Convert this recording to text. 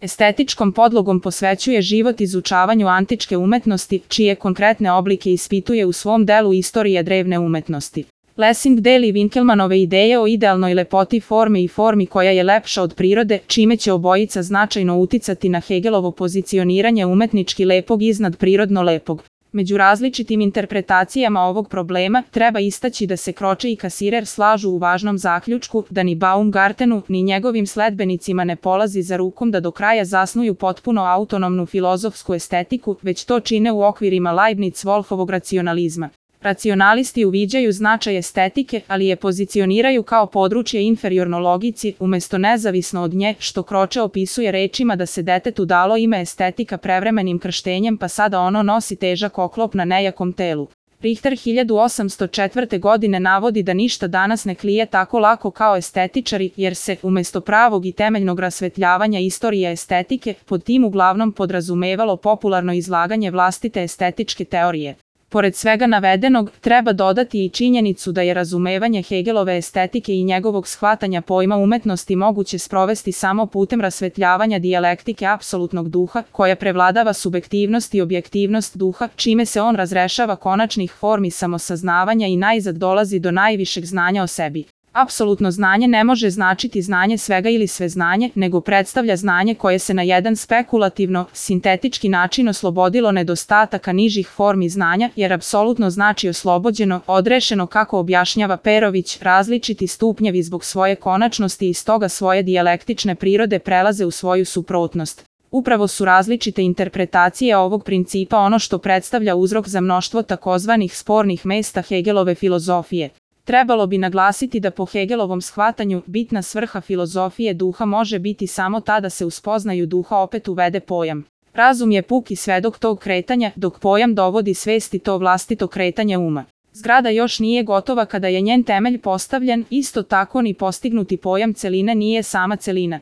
Estetičkom podlogom posvećuje život izučavanju antičke umetnosti, čije konkretne oblike ispituje u svom delu Istorija drevne umetnosti. Lessing deli Winkelmannove ideje o idealnoj lepoti forme i formi koja je lepša od prirode, čime će obojica značajno uticati na Hegelovo pozicioniranje umetnički lepog iznad prirodno lepog. Među različitim interpretacijama ovog problema treba istaći da se Croce i Cassirer slažu u važnom zaključku da ni Baumgartenu ni njegovim sledbenicima ne polazi za rukom da do kraja zasnuju potpuno autonomnu filozofsku estetiku, već to čine u okvirima Leibniz-Wolfovog racionalizma. Racionalisti uviđaju značaj estetike, ali je pozicioniraju kao područje inferiorno logici, umesto nezavisno od nje, što Croce opisuje rečima da se detetu dalo ime estetika prevremenim krštenjem pa sada ono nosi težak oklop na nejakom telu. Richter 1804. godine navodi da ništa danas ne klije tako lako kao estetičari, jer se, umesto pravog i temeljnog rasvetljavanja istorije estetike, pod tim uglavnom podrazumevalo popularno izlaganje vlastite estetičke teorije. Pored svega navedenog, treba dodati i činjenicu da je razumevanje Hegelove estetike i njegovog shvatanja pojma umetnosti moguće sprovesti samo putem rasvetljavanja dijalektike apsolutnog duha, koja prevladava subjektivnost i objektivnost duha, čime se on razrešava konačnih formi samosaznavanja i najzad dolazi do najvišeg znanja o sebi. Apsolutno znanje ne može značiti znanje svega ili sve znanje, nego predstavlja znanje koje se na jedan spekulativno, sintetički način oslobodilo nedostataka nižih formi znanja, jer apsolutno znači oslobođeno, odrešeno kako objašnjava Perović, različiti stupnjevi zbog svoje konačnosti i stoga svoje dijalektične prirode prelaze u svoju suprotnost. Upravo su različite interpretacije ovog principa ono što predstavlja uzrok za mnoštvo takozvanih spornih mesta Hegelove filozofije. Trebalo bi naglasiti da po Hegelovom shvatanju bitna svrha filozofije duha može biti samo ta da se u spoznaju duha opet uvede pojam. Razum je puki svedok tog kretanja, dok pojam dovodi svesti to vlastito kretanje uma. Zgrada još nije gotova kada je njen temelj postavljen, isto tako ni postignuti pojam celine nije sama celina.